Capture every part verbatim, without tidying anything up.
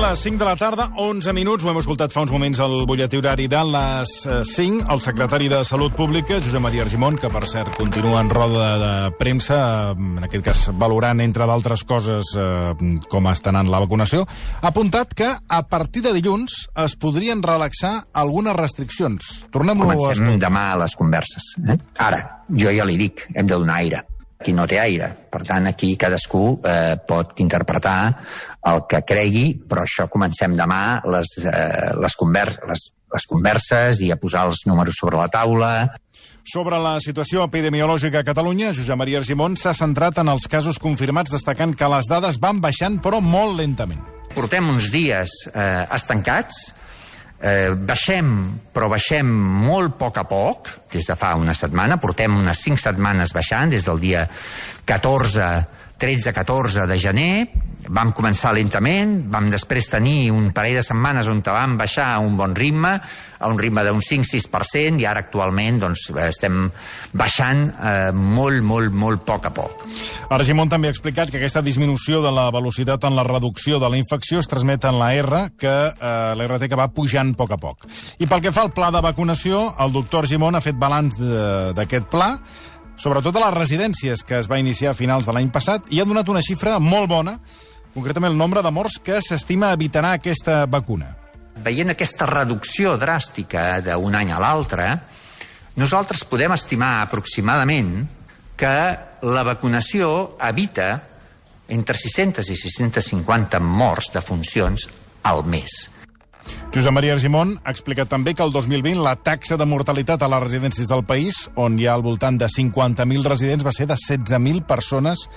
les cinc de la tarda, onze minuts. Ho hem escoltat fa uns moments al butlletí horari de les cinc. El secretari de Salut Pública, Josep Maria Argimon, que per cert continua en roda de premsa, en aquest cas valorant, entre d'altres coses, com està anant la vacunació, ha apuntat que a partir de dilluns es podrien relaxar algunes restriccions. Tornem-ho a escoltar. Comencem demà a les converses. Eh? Ara, jo ja li dic, hem de donar aire. Aquí no té aire. Per tant, aquí cadascú eh, pot interpretar el que cregui, però això comencem demà les, eh, les, convers les, les converses i a posar els números sobre la taula. Sobre la situació epidemiològica a Catalunya, Josep Maria Argimon s'ha centrat en els casos confirmats, destacant que les dades van baixant, però molt lentament. Portem uns dies eh, estancats, Eh, baixem, però baixem molt a poc a poc, des de fa una setmana, portem unes cinc setmanes baixant, des del dia catorze, tretze catorze de gener, vam començar lentament, vam després tenir un parell de setmanes on vam baixar a un bon ritme, a un ritme d'un cinc sis per cent, i ara actualment doncs, estem baixant eh, molt, molt, molt a poc a poc. Argimon també ha explicat que aquesta disminució de la velocitat en la reducció de la infecció es transmet en la R, que eh, l'R T que va pujant a poc a poc. I pel que fa al pla de vacunació, el doctor Argimon ha fet balanç d'aquest pla, sobretot a les residències, que es va iniciar a finals de l'any passat, i ha donat una xifra molt bona, concretament el nombre de morts que s'estima evitarà aquesta vacuna. Veient aquesta reducció dràstica d'un any a l'altre, nosaltres podem estimar aproximadament que la vacunació evita entre sis-centes i sis-centes cinquanta morts de funcions al mes. Josep Maria Argimon ha explicat també que el dos mil vint la taxa de mortalitat a les residències del país, on hi ha al voltant de cinquanta mil residents, va ser de setze mil persones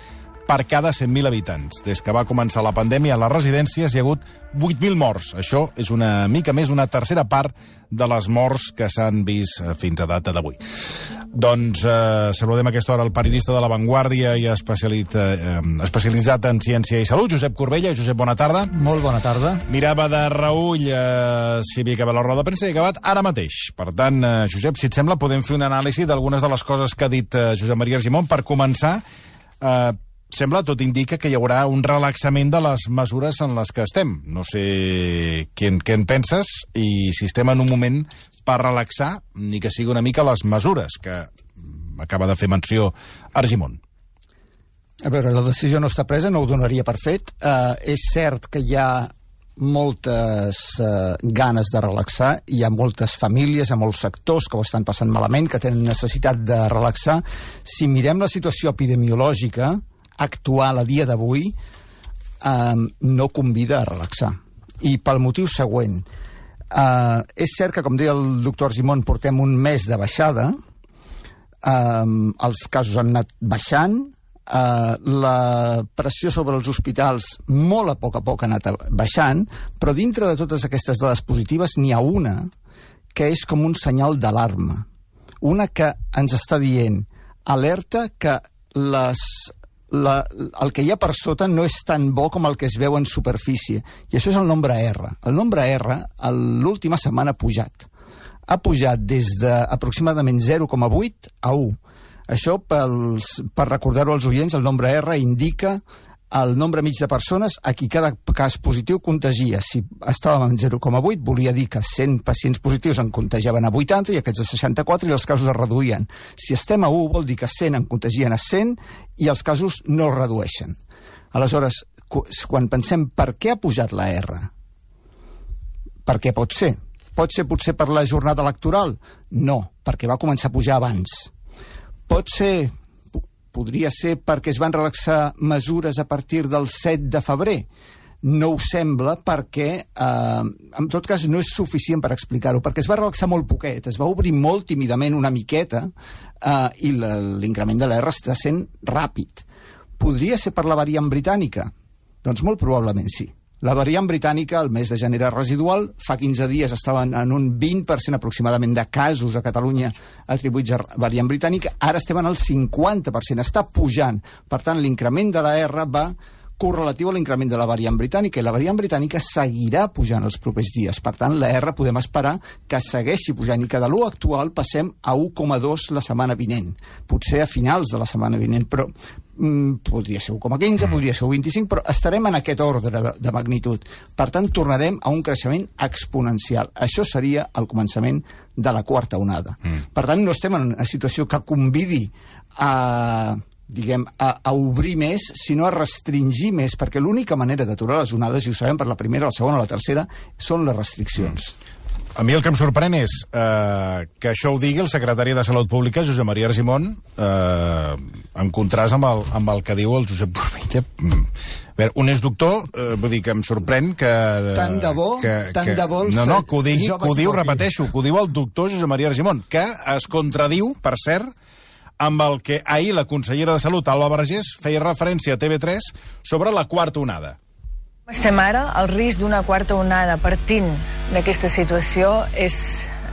per cada cent mil habitants. Des que va començar la pandèmia a les residències hi ha hagut vuit mil morts. Això és una mica més d'una tercera part de les morts que s'han vist fins a data d'avui. Doncs eh, saludem a aquesta hora el periodista de La Vanguardia i especialitzat, eh, especialitzat en ciència i salut, Josep Corbella. Josep, bona tarda. Molt bona tarda. Mirava de reull eh, si havia acabat la roda de premsa i ha acabat ara mateix. Per tant, eh, Josep, si et sembla, podem fer una anàlisi d'algunes de les coses que ha dit eh, Josep Maria Argimon. Per començar, eh, sembla, tot indica que hi haurà un relaxament de les mesures en les que estem. No sé què en, què en penses i si estem en un moment per relaxar, ni que sigui una mica les mesures que acaba de fer menció Argimon. A veure, la decisió no està presa, no ho donaria per fet. Uh, és cert que hi ha moltes uh, ganes de relaxar, hi ha moltes famílies, hi ha molts sectors que ho estan passant malament, que tenen necessitat de relaxar. Si mirem la situació epidemiològica actual a dia d'avui, eh, no convida a relaxar. I pel motiu següent. Eh, és cert que, com deia el doctor Argimon, portem un mes de baixada, eh, els casos han anat baixant, eh, la pressió sobre els hospitals molt a poc a poc ha anat baixant, però dintre de totes aquestes dades positives n'hi ha una que és com un senyal d'alarma. Una que ens està dient, alerta que les La, el que hi ha per sota no és tan bo com el que es veu en superfície, i això és el nombre R. El nombre R l'última setmana ha pujat. Ha pujat des d'aproximadament zero coma vuit a u. Això, pels, per recordar-ho als oients, el nombre R indica el nombre mig de persones a qui cada cas positiu contagia. Si estàvem en zero coma vuit, volia dir que cent pacients positius en contagiaven a vuitanta i aquests a seixanta-quatre i els casos es reduïen. Si estem a u, vol dir que cent en contagien a cent i els casos no es redueixen. Aleshores, quan pensem per què ha pujat la R, per què pot ser? Pot ser potser per la jornada electoral? No, perquè va començar a pujar abans. Pot ser... Podria ser perquè es van relaxar mesures a partir del set de febrer. No ho sembla perquè, eh, en tot cas, no és suficient per explicar-ho, perquè es va relaxar molt poquet, es va obrir molt tímidament una miqueta eh, i l'increment de l'R està sent ràpid. Podria ser per la variant britànica? Doncs molt probablement sí. La variant britànica, el mes de gener era residual, fa quinze dies estaven en un vint per cent aproximadament de casos a Catalunya atribuïts a variant britànica, ara estem en el cinquanta per cent, està pujant. Per tant, l'increment de la R va correlatiu a l'increment de la variant britànica, i la variant britànica seguirà pujant els propers dies. Per tant, la R podem esperar que segueixi pujant i que de l'u actual passem a u coma dos la setmana vinent. Potser a finals de la setmana vinent, però podria ser u coma quinze, mm. podria ser u coma vint-i-cinc, però estarem en aquest ordre de, de magnitud. Per tant, tornarem a un creixement exponencial. Això seria el començament de la quarta onada. Mm. Per tant, no estem en una situació que convidi a, diguem, a, a obrir més, sinó a restringir més, perquè l'única manera d'aturar les onades, i ho sabem per la primera, la segona o la tercera, són les restriccions. Mm. A mi el que em sorprèn és eh, que això ho digui el secretari de Salut Pública, Josep Maria Argimon, eh, en contrast amb el, amb el que diu el Josep Corbella. A veure, un és doctor, eh, vull dir que em sorprèn que... Tant de bo, que, tant que, de bo... No, no, que ho digui, que ho diu, repeteixo, que ho diu el doctor Josep Maria Argimon, que es contradiu, per cert, amb el que ahir la consellera de Salut, Alba Vergés, feia referència a T V tres sobre la quarta onada. Estem ara, el risc d'una quarta onada partint d'aquesta situació és,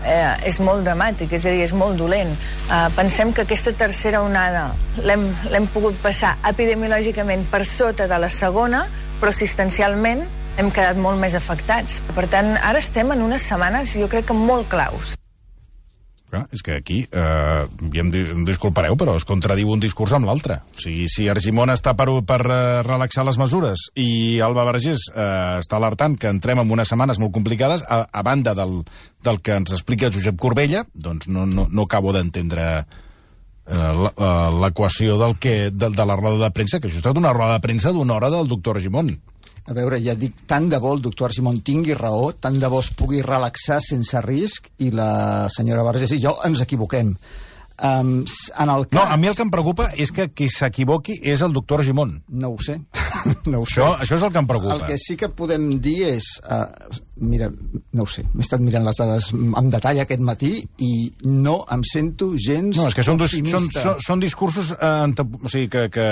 eh, és molt dramàtic, és a dir, és molt dolent. Eh, pensem que aquesta tercera onada l'hem pogut passar epidemiològicament per sota de la segona, però assistencialment hem quedat molt més afectats. Per tant, ara estem en unes setmanes, jo crec que molt claus. Clar, és que aquí, eh, ja em, em disculpareu, però es contradiu un discurs amb l'altre. O sigui, si Argimon està per, per uh, relaxar les mesures i Alba Vergés eh, està alertant que entrem en unes setmanes molt complicades, a, a banda del, del que ens explica Josep Corbella, doncs no, no, no acabo d'entendre eh, l'equació del que, de, de la roda de premsa, que això ha estat una roda de premsa d'una hora del doctor Argimon. A veure, ja dic, tant de bo el doctor Argimon tingui raó, tant de bo es pugui relaxar sense risc, i la senyora Vergés i jo ens equivoquem. Um, en el cas... No, a mi el que em preocupa és que qui s'equivoqui és el doctor Argimon. No ho sé. no ho sé. Això, això és el que em preocupa. El que sí que podem dir és... Uh, mira, no ho sé, m'he estat mirant les dades en detall aquest matí i no em sento gens no, és que són, optimista. Són, són, són discursos eh, o sigui, que, que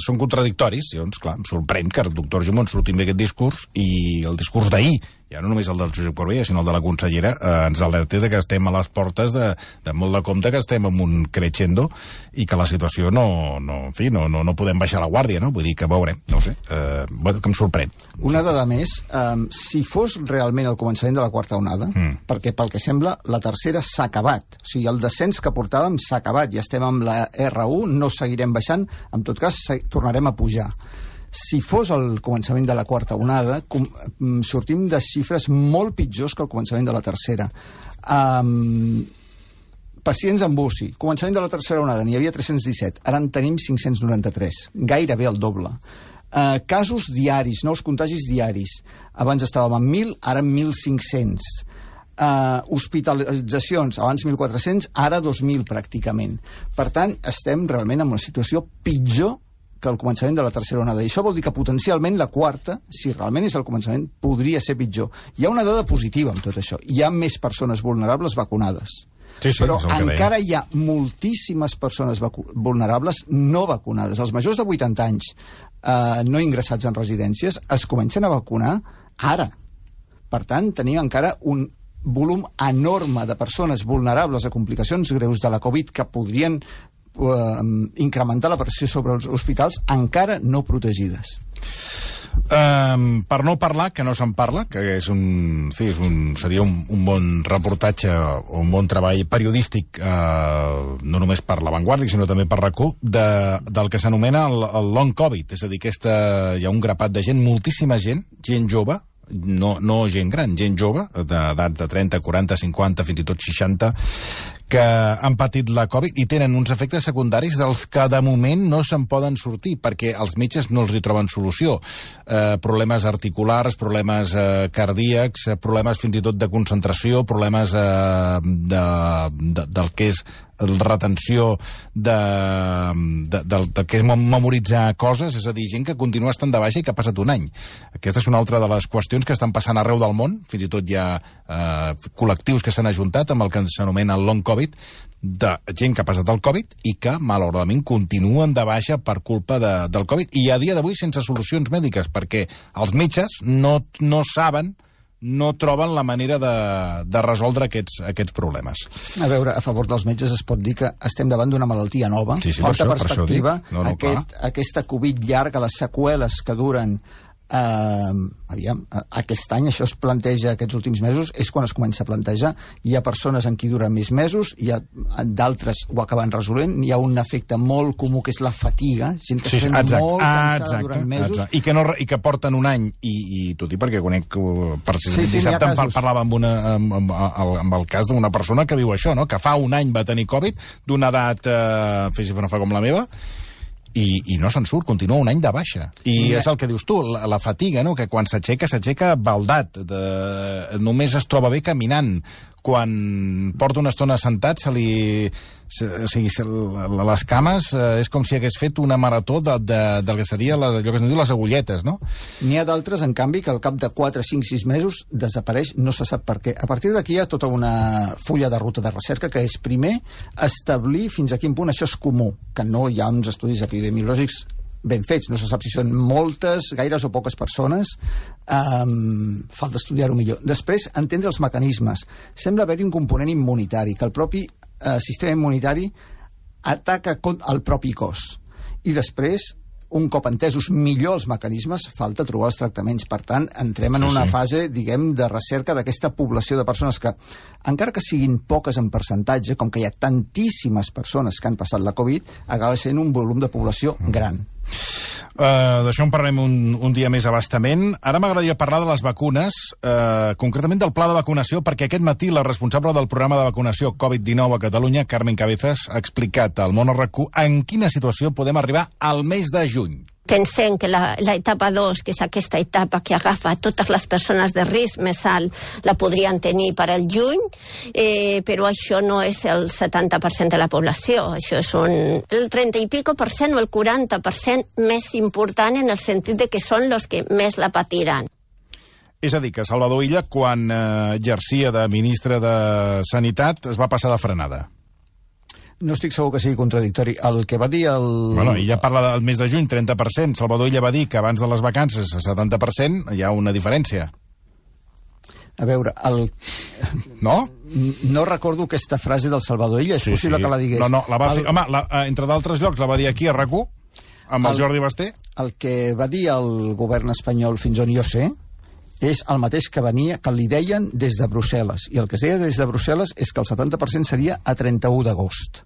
són contradictoris. Llavors, clar, em sorprèn que el doctor Argimon surti amb aquest discurs i el discurs d'ahir, ja no només el del Josep Corbella, sinó el de la consellera, eh, ens alerta de que estem a les portes de, de molt de compte, que estem en un crescendo i que la situació no, no, en fi, no, no, no podem baixar la guàrdia, no? Vull dir que veurem, no ho sé, eh, bueno, que em sorprèn. Una dada més, um, si fos realment el començament de la quarta onada, mm. perquè pel que sembla la tercera s'ha acabat, o sigui, el descens que portàvem s'ha acabat i estem amb la erra u, no seguirem baixant, en tot cas tornarem a pujar. Si fos el començament de la quarta onada, com, sortim de xifres molt pitjors que el començament de la tercera. Um, pacients amb U C I. Començament de la tercera onada n'hi havia tres-cents disset, ara en tenim cinc-cents noranta-tres, gairebé el doble. Uh, casos diaris, nous contagis diaris. Abans estàvem en mil, ara en mil cinc-cents. Uh, hospitalitzacions, abans mil quatre-cents, ara dos mil pràcticament. Per tant, estem realment en una situació pitjor que el començament de la tercera onada. I això vol dir que potencialment la quarta, si realment és el començament, podria ser pitjor. Hi ha una dada positiva amb tot això. Hi ha més persones vulnerables vacunades. Sí, sí, però encara hi ha moltíssimes persones vulnerables no vacunades. Els majors de vuitanta anys eh, no ingressats en residències es comencen a vacunar ara. Per tant, tenim encara un volum enorme de persones vulnerables a complicacions greus de la Covid que podrien incrementar la pressió sobre els hospitals encara no protegides. Um, per no parlar, que no se'n parla, que és un, en fi, és un, seria un, un bon reportatge o un bon treball periodístic, uh, no només per La Vanguardia, sinó també per RAC u, de, del que s'anomena el, el long Covid. És a dir, aquesta, hi ha un grapat de gent, moltíssima gent, gent jove, no, no gent gran, gent jove, d'edat de trenta, quaranta, cinquanta, fins i tot seixanta, que han patit la Covid i tenen uns efectes secundaris dels que de moment no se'n poden sortir, perquè els metges no els hi troben solució. Eh, problemes articulars, problemes eh, cardíacs, eh, problemes fins i tot de concentració, problemes eh, de, de, del que és retenció de, de, de, de que és memoritzar coses, és a dir, gent que continua estant de baixa i que ha passat un any. Aquesta és una altra de les qüestions que estan passant arreu del món, fins i tot hi ha eh, col·lectius que s'han ajuntat amb el que s'anomena el long Covid, de gent que ha passat el Covid i que, malauradament, continuen de baixa per culpa de, del Covid, i a dia d'avui sense solucions mèdiques, perquè els metges no, no saben, no troben la manera de, de resoldre aquests, aquests problemes. A veure, a favor dels metges es pot dir que estem davant d'una malaltia nova, sí, sí, falta per perspectiva, per no, no, aquest, aquesta Covid llarga, les seqüeles que duren Uh, aviam, aquest any això es planteja, aquests últims mesos és quan es comença a plantejar. Hi ha persones en qui duren més mesos, hi ha d'altres ho acaben resolent, hi ha un efecte molt comú que és la fatiga, gent que sí, es sent exacte, molt cansada exacte, durant mesos exacte. I, que no, i que porten un any i, i t'ho dic perquè conec precisament sí, sí, dissabte em parlava amb, una, amb, amb, amb el cas d'una persona que viu això, no? Que fa un any va tenir Covid d'una edat, eh, fes no fa com la meva, I, i no se'n surt, continua un any de baixa. I yeah. és el que dius tu, la, la fatiga, no? Que quan s'aixeca, s'aixeca baldat, de, només es troba bé caminant. Quan porta una estona sentat, se li... Se, o sigui, se, les cames eh, és com si hagués fet una marató de, de, del que seria la, allò que es diu les agulletes, no? N'hi ha d'altres, en canvi, que al cap de quatre, cinc, sis mesos desapareix, no se sap per què. A partir d'aquí hi ha tota una fulla de ruta de recerca que és, primer, establir fins a quin punt això és comú, que no hi ha uns estudis epidemiològics ben fets, no se sap si són moltes, gaires o poques persones, um, falta estudiar-ho millor. Després, entendre els mecanismes. Sembla haver-hi un component immunitari, que el propi eh, sistema immunitari ataca el propi cos. I després, un cop entesos millor els mecanismes, falta trobar els tractaments. Per tant, entrem en sí, una sí. fase, diguem, de recerca d'aquesta població de persones que, encara que siguin poques en percentatge, com que hi ha tantíssimes persones que han passat la Covid, acaba sent un volum de població gran. Uh, D'això en parlarem un, un dia més abastament. Ara m'agradaria parlar de les vacunes, uh, concretament del pla de vacunació, perquè aquest matí la responsable del programa de vacunació Covid dinou a Catalunya, Carmen Cabezas, ha explicat al Món R Q en quina situació podem arribar al mes de juny. Pensem que la, la etapa dos, que és aquesta etapa que agafa totes les persones de risc més alt, la podrien tenir per al juny, eh, però això no és el setanta per cent de la població, això és un, el trenta i pico per cent o el quaranta per cent més important en el sentit de que són els que més la patiran. És a dir, que Salvador Illa, quan eh, exercia de ministre de Sanitat, es va passar de frenada. No estic segur que sigui contradictori. El que va dir el... Bueno, ella parla del mes de juny, trenta per cent. Salvador Illa va dir que abans de les vacances, setanta per cent, hi ha una diferència. A veure, el... No? No recordo aquesta frase del Salvador Illa, és sí, possible sí. que la digués. No, no, la va el... fer... Home, la, entre d'altres llocs, la va dir aquí a R A C u, amb el, el Jordi Basté. El que va dir el govern espanyol, fins on jo sé, és el mateix que venia, que li deien des de Brussel·les. I el que es deia des de Brussel·les és que el setanta per cent seria a trenta-u d'agost.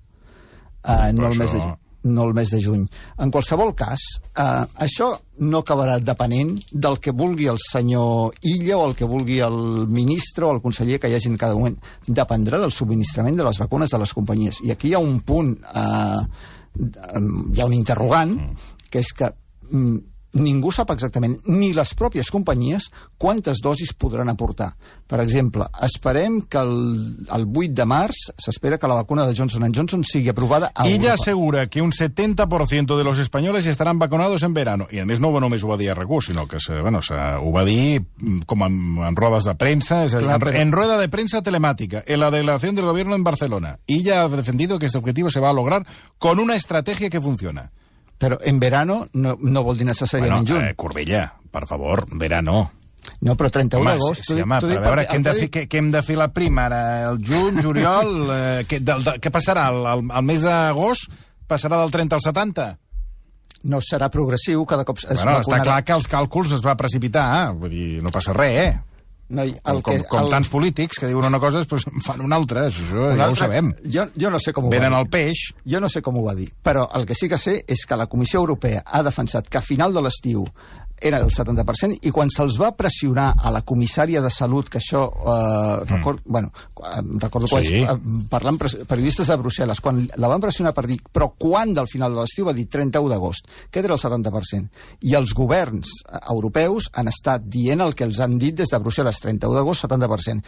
Uh, no, això... el no el mes de juny. En qualsevol cas, uh, això no acabarà depenent del que vulgui el senyor Illa o el que vulgui el ministre o el conseller que hi hagi en cada moment. Dependrà del subministrament de les vacunes de les companyies. I aquí hi ha un punt, uh, hi ha un interrogant, que és que um, ningú sap exactament, ni les pròpies companyies, quantes dosis podran aportar. Per exemple, esperem que el, el vuit de març s'espera que la vacuna de Johnson and Johnson sigui aprovada a Europa. Ella asegura que un setenta por ciento de los españoles estarán vacunados en verano. I a més no només ho va dir a R A C u, sinó que se, bueno, se, ho va dir com en, en rodes de premsa, es, Clar, en, però... en rueda de prensa telemática, en la delegación del gobierno en Barcelona. Ella ha defendido que este objetivo se va a lograr con una estrategia que funciona. Però en verano no, no vol dir necessàriament bueno, juny. Eh, Corbella, per favor, verano. No, però trenta-u d'agost... Sí, sí, home, però a veure, què hem, de fer, què, què hem de fer la prima ara? El juny, juliol... Eh, què, del, de, què passarà? El, el, el mes d'agost passarà del trenta al setanta? No, serà progressiu, cada cop es bueno, vacunarà. Està clar que els càlculs es va precipitar, eh? Vull dir, no passa res, eh? No, el com, que, com, com el... tants polítics que diuen una cosa i després fan una altra, això una ja altra... ho sabem. Jo, jo no sé com ho Venen va dir. el peix. Jo no sé com ho va dir, però el que sí que sé és que la Comissió Europea ha defensat que a final de l'estiu era el setanta per cent, i quan se'ls va pressionar a la comissària de Salut, que això, eh, record, mm. bueno, recordo quan sí. eh, parlant periodistes de Brussel·les, quan la van pressionar per dir, però quan del final de l'estiu va dir trenta-u d'agost, que era el setanta per cent. I els governs europeus han estat dient el que els han dit des de Brussel·les, trenta-u d'agost, setanta per cent.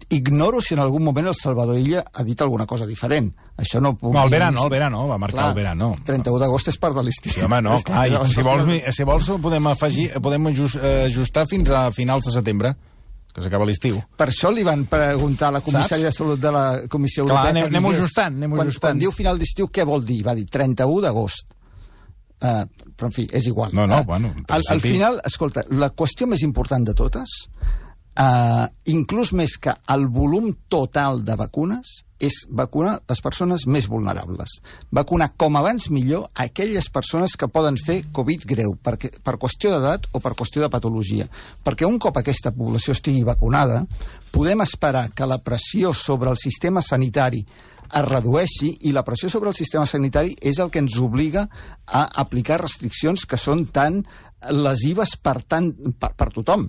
Ignoro si en algun moment el Salvador Illa ha dit alguna cosa diferent. Això no puc no, el dir... verano, el verano, va marcar clar, el verano. trenta-u d'agost és part de l'estiu. Sí, home, no, clar, i si vols, si vols podem afegir, podem ajustar fins a finals de setembre, que s'acaba l'estiu. Per això li van preguntar a la comissària de Salut de la Comissió Europea... Clar, anem, anem ajustant, anem quan, ajustant. Quan diu final d'estiu, què vol dir? Va dir trenta-u d'agost. Uh, però, en fi, és igual. No, no, uh, bueno... Al, al final, escolta, la qüestió més important de totes, uh, inclús més que el volum total de vacunes, és vacunar les persones més vulnerables. Vacunar com abans millor aquelles persones que poden fer Covid greu, perquè, per qüestió d'edat o per qüestió de patologia. Perquè un cop aquesta població estigui vacunada, podem esperar que la pressió sobre el sistema sanitari es redueixi, i la pressió sobre el sistema sanitari és el que ens obliga a aplicar restriccions que són tan lesives per, tant, per, per tothom.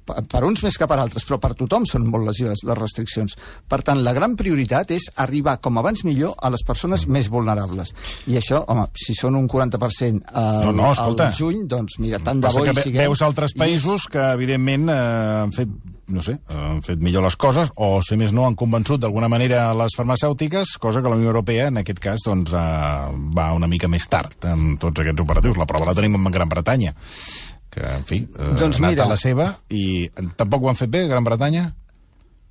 Per, per uns més que per altres, però per tothom són molt lesives les restriccions. Per tant, la gran prioritat és arribar com abans millor a les persones més vulnerables. I això, home, si són un quaranta per cent al, no, no, al juny, doncs mira, tant de bo hi siguem. Veus altres països que, evidentment, eh, han fet no sé, han fet millor les coses, o, si més no, han convençut d'alguna manera les farmacèutiques, cosa que la Unió Europea, en aquest cas, doncs, eh, va una mica més tard amb tots aquests operatius. La prova la tenim en Gran Bretanya, que, en fi, eh, doncs ha anat mira, a la seva, i tampoc ho han fet bé, Gran Bretanya?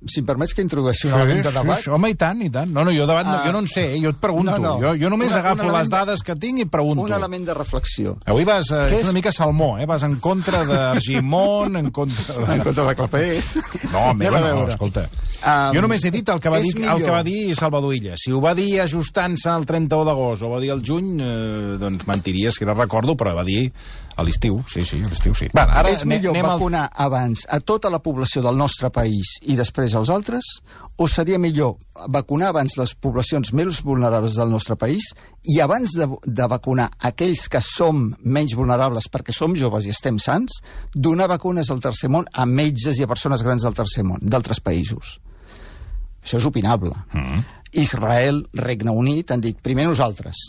Si em permets que introdueixi un sí, element de debat... Sí, home, i tant, i tant. No, no, jo, debat, no, jo no en sé, eh? Jo et pregunto. No, no. Jo, jo només una, agafo les dades que tinc i pregunto. Un element de reflexió. Avui vas, eh, ets és... una mica salmó, eh? Vas en contra d'Argimon, en contra... De... En contra de Clapés. No, meva, no, escolta. Um, jo només he dit el que va dir, el que va dir Salvador Illa. Si ho va dir ajustant-se al trenta-u d'agost o va dir al juny, eh, doncs mentiria, si no recordo, però va dir a l'estiu, sí, sí, a l'estiu sí. Va, ara és millor vacunar al... abans a tota la població del nostre país i després als altres, o seria millor vacunar abans les poblacions més vulnerables del nostre país i abans de, de vacunar aquells que som menys vulnerables perquè som joves i estem sants, donar vacunes al tercer món a metges i a persones grans del tercer món, d'altres països? Això és opinable. Mm. Israel, Regne Unit, han dit primer nosaltres.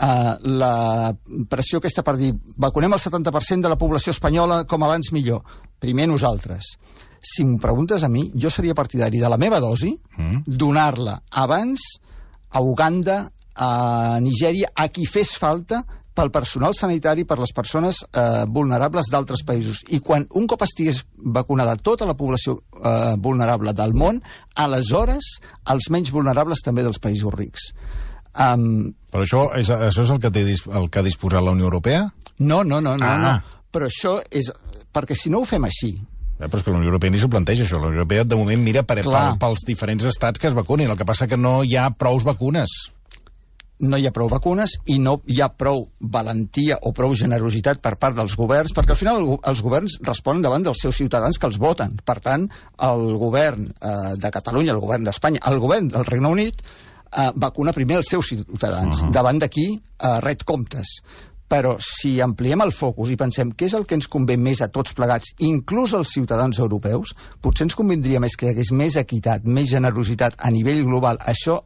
Uh, la pressió aquesta per dir vacunem el setanta per cent de la població espanyola com abans millor, primer nosaltres. Si m'ho preguntes a mi, jo seria partidari de la meva dosi, mm. donar-la abans a Uganda, a Nigèria, a qui fes falta, pel personal sanitari, per les persones eh, vulnerables d'altres països. I quan un cop estigués vacunada tota la població eh, vulnerable del món, aleshores els menys vulnerables també dels països rics. Um, Però això és, això és el que té el que ha disposat la Unió Europea? No, no, no, no, ah. no. Però això és... Perquè si no ho fem així... Eh, però és que la Unió Europea ni s'ho planteja, això. La Unió Europea, de moment, mira per, pel, pels diferents estats que es vacunin. El que passa que no hi ha prous vacunes. No hi ha prou vacunes i no hi ha prou valentia o prou generositat per part dels governs, perquè al final els governs responen davant dels seus ciutadans que els voten. Per tant, el govern eh, de Catalunya, el govern d'Espanya, el govern del Regne Unit Uh, vacuna primer els seus ciutadans. Uh -huh. Davant d'aquí uh, ret comptes. Però si ampliem el focus i pensem què és el que ens convé més a tots plegats, inclús als ciutadans europeus, potser ens convindria més que hi hagués més equitat, més generositat a nivell global. Això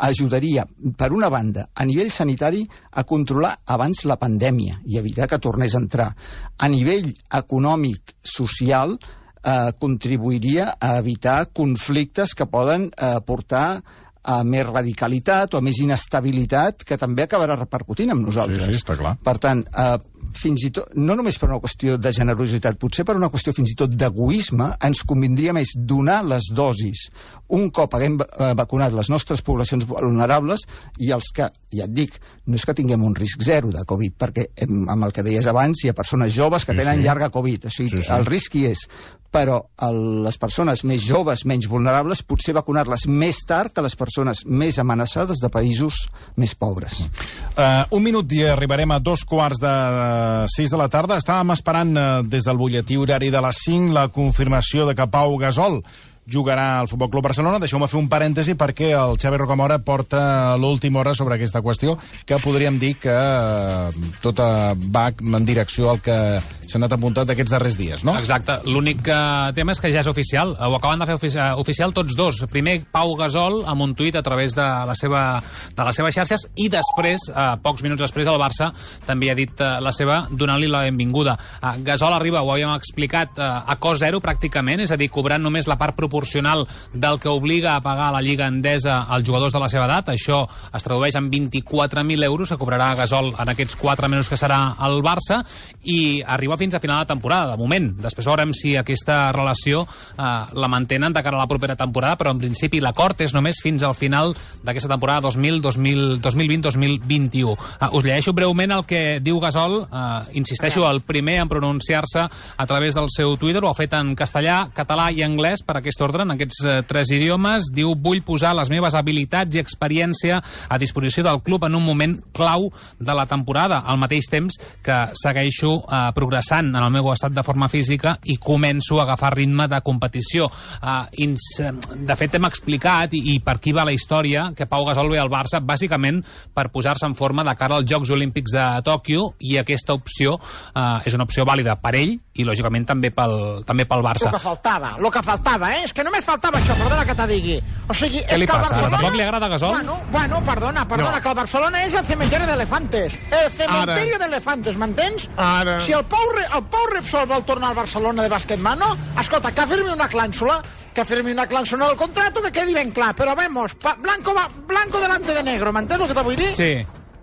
ajudaria, per una banda, a nivell sanitari, a controlar abans la pandèmia i evitar que tornés a entrar. A nivell econòmic, social, eh, contribuiria a evitar conflictes que poden eh, portar a més radicalitat o a més inestabilitat que també acabarà repercutint amb nosaltres. Sí, sí, està clar. Per tant, eh, fins i tot, no només per una qüestió de generositat, potser per una qüestió fins i tot d'egoisme, ens convindria més donar les dosis un cop haguem eh, vacunat les nostres poblacions vulnerables i els que, ja et dic, no és que tinguem un risc zero de Covid, perquè amb el que deies abans hi ha persones joves que sí, tenen sí. llarga Covid, o sigui, sí, sí. el risc hi és. Però el, les persones més joves, menys vulnerables, potser vacunar-les més tard que les persones més amenaçades de països més pobres. Uh, un minut i arribarem a dos quarts de sis de la tarda. Estàvem esperant uh, des del butlletí horari de les cinc la confirmació de que Pau Gasol jugarà al Futbol Club Barcelona. Deixeu-me fer un parèntesi perquè el Xavi Rocamora porta l'última hora sobre aquesta qüestió, que podríem dir que eh, tota va en direcció al que s'ha anat apuntat aquests darrers dies, no? Exacte. L'únic tema és que ja és oficial. Ho acaben de fer ofici oficial tots dos. Primer Pau Gasol amb un tuit a través de, la seva, de les seves xarxes i després, eh, pocs minuts després, el Barça també ha dit eh, la seva donant-li la benvinguda. Eh, Gasol arriba, ho havíem explicat, eh, a cost zero pràcticament, és a dir, cobrant només la part proporcional del que obliga a pagar la Lliga Endesa als jugadors de la seva edat. Això es tradueix en vint-i-quatre mil euros que cobrarà Gasol en aquests quatre mesos que serà al Barça i arriba fins a final de temporada, de moment. Després veurem si aquesta relació eh, la mantenen de cara a la propera temporada, però en principi l'acord és només fins al final d'aquesta temporada dos mil vint dos mil vint-i-u. Eh, us llegeixo breument el que diu Gasol. Eh, insisteixo, el primer en pronunciar-se a través del seu Twitter, ho ha fet en castellà, català i anglès per aquesta ordre, en aquests eh, tres idiomes. Diu, vull posar les meves habilitats i experiència a disposició del club en un moment clau de la temporada, al mateix temps que segueixo eh, progressant en el meu estat de forma física i començo a agafar ritme de competició. Eh, ins, de fet, hem explicat, i, i per aquí va la història, que Pau Gasol ve al Barça bàsicament per posar-se en forma de cara als Jocs Olímpics de Tòquio, i aquesta opció eh, és una opció vàlida per ell i, lògicament, també pel, també pel Barça. Lo que faltava, lo que faltava, eh? És que només faltava això, perdona que te digui. O sigui, Què li és que passa? Barcelona... Tampoc li agrada Gasol? Bueno, bueno, perdona, perdona, No. que el Barcelona és el cementerio de elefantes. El cementerio de elefantes, m'entens? Ara. Si el Pau, Re- el Pau Repsol vol tornar al Barcelona de bàsquetmano, escolta, que firmi una clànsula, que firmi una clànsula al contrato, que quedi ben clar. Però vemos, pa, blanco, va- blanco delante de negro, m'entens el que te vull dir? Sí.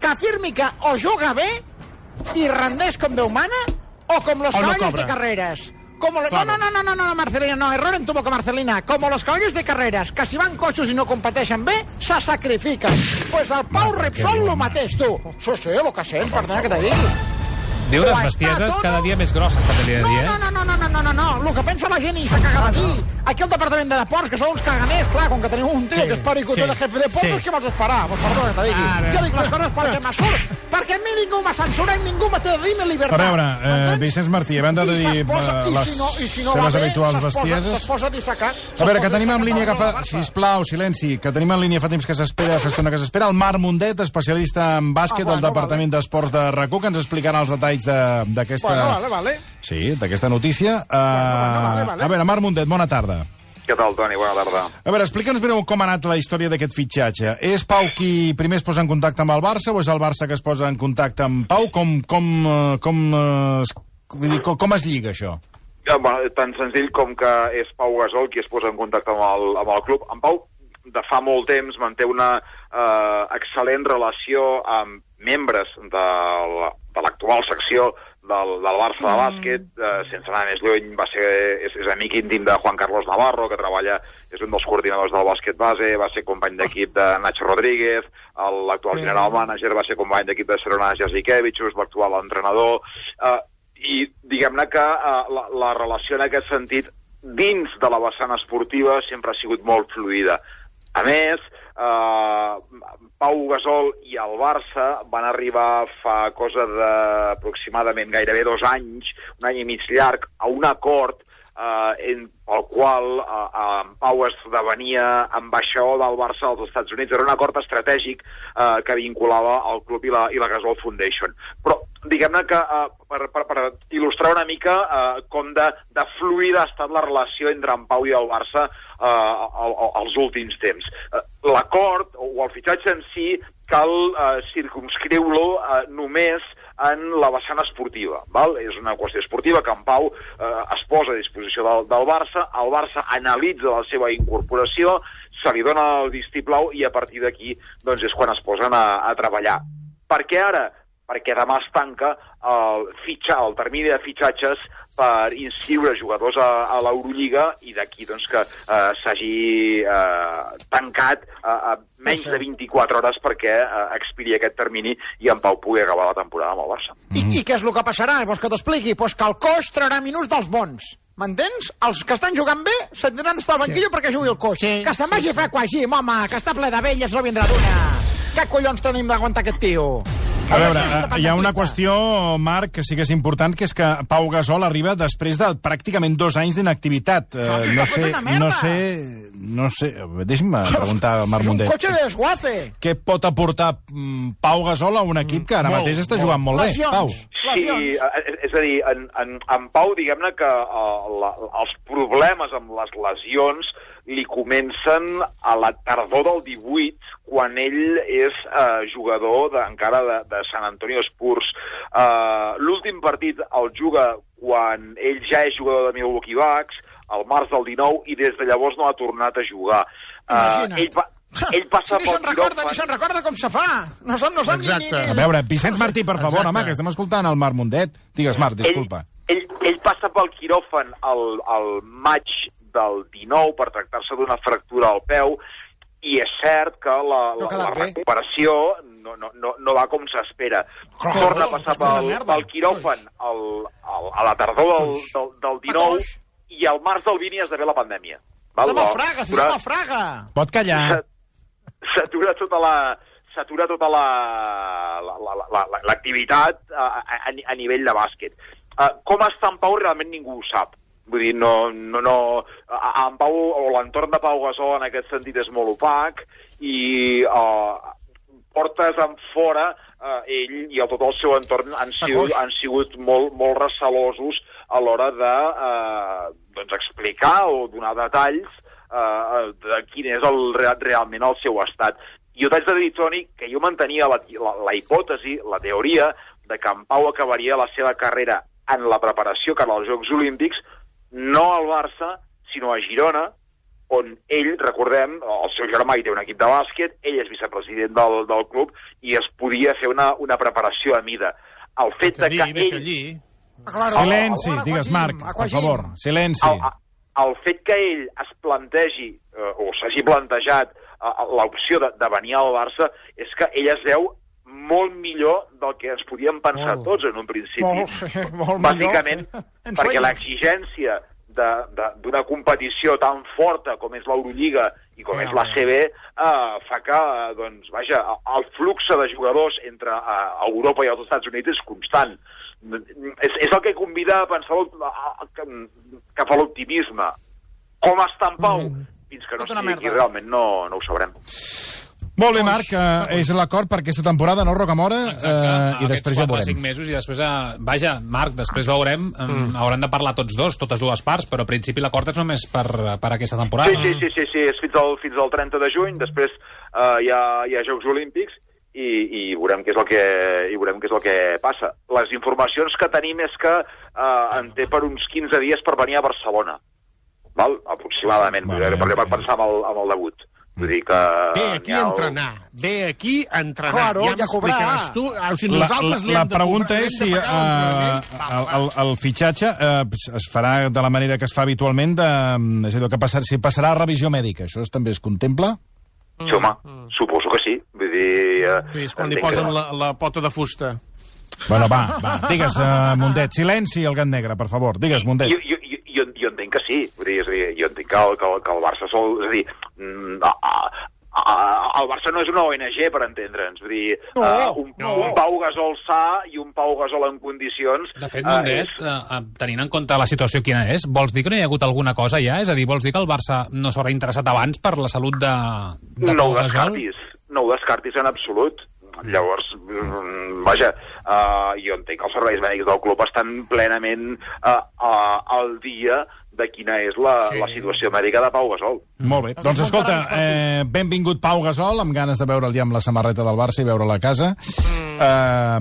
Que firmi que o juga bé i rendeix com Déu mana, o com los O no caballos cobra. de carreras. Como lo... no, no, no, no, no, no, Marcelina, no, error en tu boca, Marcelina. Como los caballos de carreras, que si van coixos i no competeixen bé, se sacrifiquen. Pues el Pau Repsol lo mateix, tu. Sí, sí, lo que sents, perdona que te digui. Diu Ho unes està bestieses tot, cada no? dia més grosses, també li he de No, dir, no, eh? no, no, no, no, no, no, no. El que pensa la gent i s'ha cagat aquí. Aquí al Departament de Deports, que són uns caganers, clar, com que tenim un tio Sí, que és pericoter sí, de jefe de deportes, sí. què vols esperar? Pues perdona que te digui. Ara. Jo dic les coses perquè me surt, perquè a mi ningú m'ha censurat i ningú m'ha de dir mi llibertat. A veure, eh, M'entens? Vicenç Martí, a banda de I dir s'esposa- eh, i les si no, i si no seves va bé, habituals s'esposa- bestieses... S'esposa dissecat. A veure, que tenim en línia que fa... Sisplau, silenci, que tenim en línia fa temps que s'espera, fa estona que s'espera, el Marc Mundet, especialista en bàsquet Ah, del bueno, Departament d'Esports de RAC u, que ens explicarà els detalls de- d'aquesta... Bueno, vale, vale. Sí, d'aquesta notícia. Uh, bueno, vale, vale. A veure, Marc Mundet, bona tarda. Què tal, Toni? Bona tarda. A veure, explica'ns breu com ha anat la història d'aquest fitxatge. És Pau qui primer es posa en contacte amb el Barça o és el Barça que es posa en contacte amb Pau? Com, com, eh, com, eh, es- vull dir, com, com es lliga, això? Ja, bueno, tan senzill com que és Pau Gasol qui es posa en contacte amb el, amb el club. En Pau, de fa molt temps, manté una eh, excel·lent relació amb membres de la- de l'actual secció del, del Barça de bàsquet, eh, sense anar més lluny, va ser, és, és amic íntim de Juan Carlos Navarro, que treballa, és un dels coordinadors del bàsquet base, va ser company d'equip de Nacho Rodríguez, el- l'actual general manager va ser company d'equip de Serona Jasikevičius, l'actual entrenador, eh, i diguem-ne que eh, la, la relació en aquest sentit, dins de la vessant esportiva, sempre ha sigut molt fluida. A més, eh, Pau Gasol i el Barça van arribar fa cosa d'aproximadament gairebé dos anys, un any i mig llarg, a un acord eh, en, pel qual eh, eh, Pau esdevenia ambaixador del Barça als Estats Units. Era un acord estratègic eh, que vinculava el club i la, i la Gasol Foundation. Però diguem-ne que eh, per, per, per il·lustrar una mica eh, com de, de fluida ha estat la relació entre en Pau i el Barça eh, al, al, als últims temps. Eh, L'acord, o el fitxatge en si, cal eh, circumscriure-lo eh, només en la vessant esportiva. Val? És una qüestió esportiva que en Pau eh, es posa a disposició del, del Barça, el Barça analitza la seva incorporació, se li dona el vistiplau i a partir d'aquí doncs, és quan es posen a, a treballar. Per què ara? Perquè demà es tanca el, fitxa, el termini de fitxatges per inscriure jugadors a, a l'Eurolliga i d'aquí doncs, que eh, s'hagi eh, tancat eh, a menys de vint-i-quatre hores perquè eh, expiri aquest termini i en Pau pugui acabar la temporada amb el Barça. I, I què és el que passarà? Vols que t'expliqui? Pues que el coix traurà minuts dels bons. M'entens? Els que estan jugant bé se'n tindran d'estar al banquillo sí. perquè jugui el coix. Sí, que se'n vagi sí, a fer aquagim, home, que està ple de velles, no vindrà d'una. Què collons tenim d'aguantar aquest tio? A veure, hi ha una qüestió, Marc, que sí que és important, que és que Pau Gasol arriba després de pràcticament dos anys d'inactivitat. Uh, no sé, no sé, no sé... Deixa'm preguntar al Marc Mundet. És un cotxe de desguace. Què pot aportar mm, Pau Gasol a un equip que ara molt, mateix està jugant molt, molt bé, Pau? Sí, és a dir, en, en, en Pau, diguem-ne que uh, la, els problemes amb les lesions li comencen a la tardor del divuit, quan ell és eh, jugador de, encara de, de San Antonio Spurs. Eh, L'últim partit el juga quan ell ja és jugador de Milwaukee Bucks, al març del dinou, i des de llavors no ha tornat a jugar. Eh, ell, pa, ell passa si pel quiròfan... Ni se'n recorda com se fa. No se'n no ni, ni, ni... A veure, Vicenç Martí, per favor, Exacte. home, que estem escoltant el Marc Mundet. Digues, Marc, disculpa. Ell, ell, ell passa pel quiròfan al, al maig del dinou per tractar-se d'una fractura al peu i és cert que la, la, la recuperació no, no, no, no va com s'espera. Torna a passar pel, pel quiròfan al, al, a la tardor del, del, del dinou i al març del vint hi esdevé la pandèmia. Som a Fraga, si som a Fraga! Pot callar. S'atura tota la... s'atura tota l'activitat la, la, la, a, a, a nivell de bàsquet. Uh, com està en Pau realment ningú ho sap. Vull dir, no, no, no, en Pau, o l'entorn de Pau Gasol en aquest sentit és molt opac i uh, portes en fora uh, ell i tot el seu entorn han sigut, han sigut molt, molt recelosos a l'hora de uh, doncs explicar o donar detalls uh, de quin és el, realment el seu estat. Jo t'haig de dir, Toni, que jo mantenia la, la, la hipòtesi, la teoria, de que en Pau acabaria la seva carrera en la preparació que als Jocs Olímpics, no al Barça, sinó a Girona, on ell, recordem, el seu germà hi té un equip de bàsquet, ell és vicepresident del, del club, i es podia fer una, una preparació a mida. El fet de que ell... Silenci, digues, Marc, per favor, silenci. El, el fet que ell es plantegi, eh, o s'hagi plantejat, l'opció de, de venir al Barça és que ell es veu molt millor del que ens podíem pensar molt, tots en un principi. Molt, molt Bàsicament, millor. perquè l'exigència d'una competició tan forta com és l'Eurolliga i com no, és la C B eh, fa que, doncs, vaja, el flux de jugadors entre eh, Europa i els Estats Units és constant. És, és el que convida a pensar cap a l'optimisme. Com està en Pau? Mm. Fins que no estigui aquí, realment no, no ho sabrem. Molt bé, Marc, eh, és l'acord per aquesta temporada, no, Rocamora? Exacte, eh, i després ja veurem. cinc mesos i després, eh, vaja, Marc, després veurem, eh, mm. hauran de parlar tots dos, totes dues parts, però al principi l'acord és només per, per aquesta temporada. Sí, sí, sí, sí, sí, és fins al, fins al trenta de juny, després eh, hi, ha, hi ha Jocs Olímpics i, i, veurem què és el que, i veurem què és el que passa. Les informacions que tenim és que eh, en té per uns quinze dies per venir a Barcelona. Val? Aproximadament, vale, per, per pensar amb el, amb el debut. Vull dir que... Ve aquí a entrenar, ve aquí a entrenar. Claro, ja m'explicaràs tu. O sigui, la, nosaltres la, la pregunta és si uh, el, el, el fitxatge uh, es farà de la manera que es fa habitualment, de, és a dir, que passar, si passarà a revisió mèdica. Això també es contempla? Sí, home, mm. suposo que sí. Vull dir... Uh, sí, és quan li posen que... la, la pota de fusta. Bueno, va, va. Digues, uh, Mundet, silenci al gat negre, per favor. Digues, Mundet. Jo, jo, jo, jo entenc que sí. Vull dir, és a dir, jo entenc que el, que, el, que el Barça sol... És a dir, mm, a, a, a, el Barça no és una O N G, per entendre'ns. Vull dir, no, uh, un, no. un Pau Gasol sa i un Pau Gasol en condicions... De fet, Mundet, uh, és... uh, tenint en compte la situació quina és, vols dir que no hi ha hagut alguna cosa ja? És a dir, vols dir que el Barça no s'haurà interessat abans per la salut de, de no Pau Gasol? No ho descartis en absolut. Llavors, vaja, uh, jo entenc que els serveis mèdics del club estan plenament uh, uh, al dia de quina és la, sí. la situació mèdica de Pau Gasol. Molt bé. Doncs escolta, eh, benvingut Pau Gasol, amb ganes de veure'l ja amb la samarreta del Barça i veure'l a casa. Mm. Eh,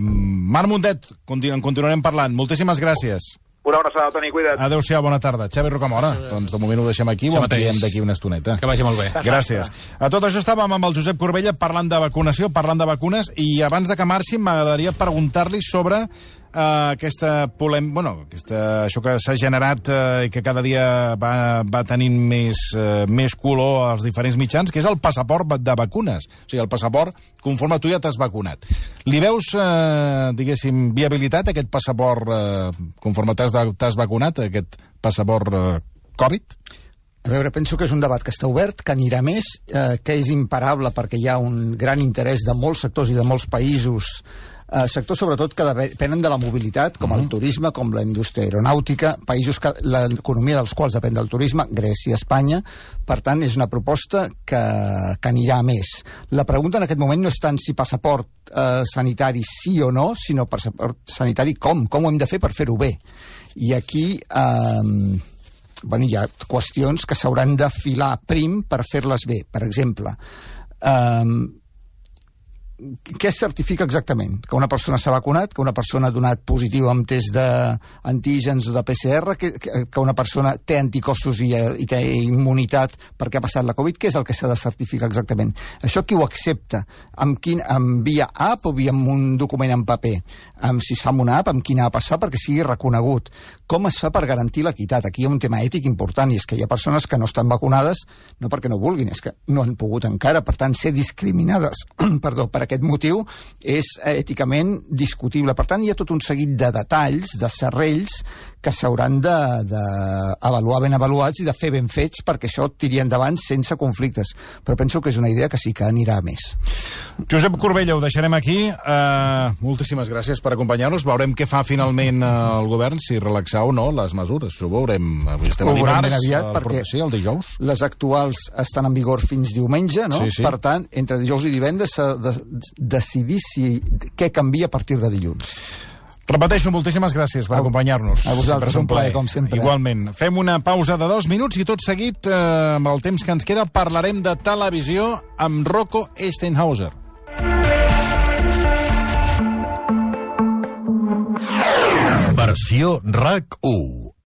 Marc Mundet, continu continuarem parlant. Moltíssimes gràcies. Una abraçada, Toni, cuida't. Adéu-siau, bona tarda. Xavi Rocamora, sí. Doncs de moment ho deixem aquí, ho ampliem d'aquí una estoneta. Que vagi molt bé. Gràcies. A tot això estàvem amb el Josep Corbella parlant de vacunació, parlant de vacunes, i abans de que marxi m'agradaria preguntar-li sobre eh, aquesta polèmica, bueno, aquesta, això que s'ha generat eh, i que cada dia va, va tenint més, eh, més color als diferents mitjans, que és el passaport de vacunes. O sigui, el passaport conforme tu ja t'has vacunat. Li veus, eh, diguéssim, viabilitat aquest passaport eh, conforme t'has t'has vacunat, aquest passaport eh, Covid? A veure, penso que és un debat que està obert, que anirà més, eh, que és imparable perquè hi ha un gran interès de molts sectors i de molts països, eh, sectors sobretot que depenen de la mobilitat, com el turisme, com la indústria aeronàutica, països que l'economia dels quals depèn del turisme, Grècia, Espanya. Per tant, és una proposta que, que anirà més. La pregunta en aquest moment no és tant si passaport eh, sanitari sí o no, sinó passaport sanitari com, com ho hem de fer per fer-ho bé. I aquí... Eh, bueno, hi ha qüestions que s'hauran de filar prim per fer-les bé. Per exemple, eh, què es certifica exactament? Que una persona s'ha vacunat, que una persona ha donat positiu amb test d'antígens o de P C R, que, que una persona té anticossos i, i té immunitat perquè ha passat la Covid? Què és el que s'ha de certificar exactament? Això qui ho accepta? Amb, quin, amb via app o via amb un document en paper? Amb, si es fa amb una app, amb quina app es fa perquè sigui reconegut? Com es fa per garantir l'equitat? Aquí hi ha un tema ètic important, i és que hi ha persones que no estan vacunades no perquè no vulguin, és que no han pogut encara, per tant, ser discriminades perdó, per aquest motiu és èticament discutible. Per tant, hi ha tot un seguit de detalls, de serrells, que s'hauran d'avaluar ben avaluats i de fer ben fets perquè això tiri endavant sense conflictes. Però penso que és una idea que sí que anirà a més. Josep Corbella, ho deixarem aquí. Uh, moltíssimes gràcies per acompanyar-nos. Veurem què fa finalment uh, el govern, si relaxar o no les mesures. Ho veurem. Avui estem a dimarts, aviat, el, perquè sí, el dijous. Les actuals estan en vigor fins diumenge, no? Sí, sí. Per tant, entre dijous i divendres s'ha de decidir si, què canvia a partir de dilluns. Repeteixo, moltíssimes gràcies per acompanyar-nos. A vosaltres, un plaer, com sempre. Igualment. Fem una pausa de dos minuts i tot seguit, eh, amb el temps que ens queda, parlarem de televisió amb Rocco Eisenhauser. Versió R A C u.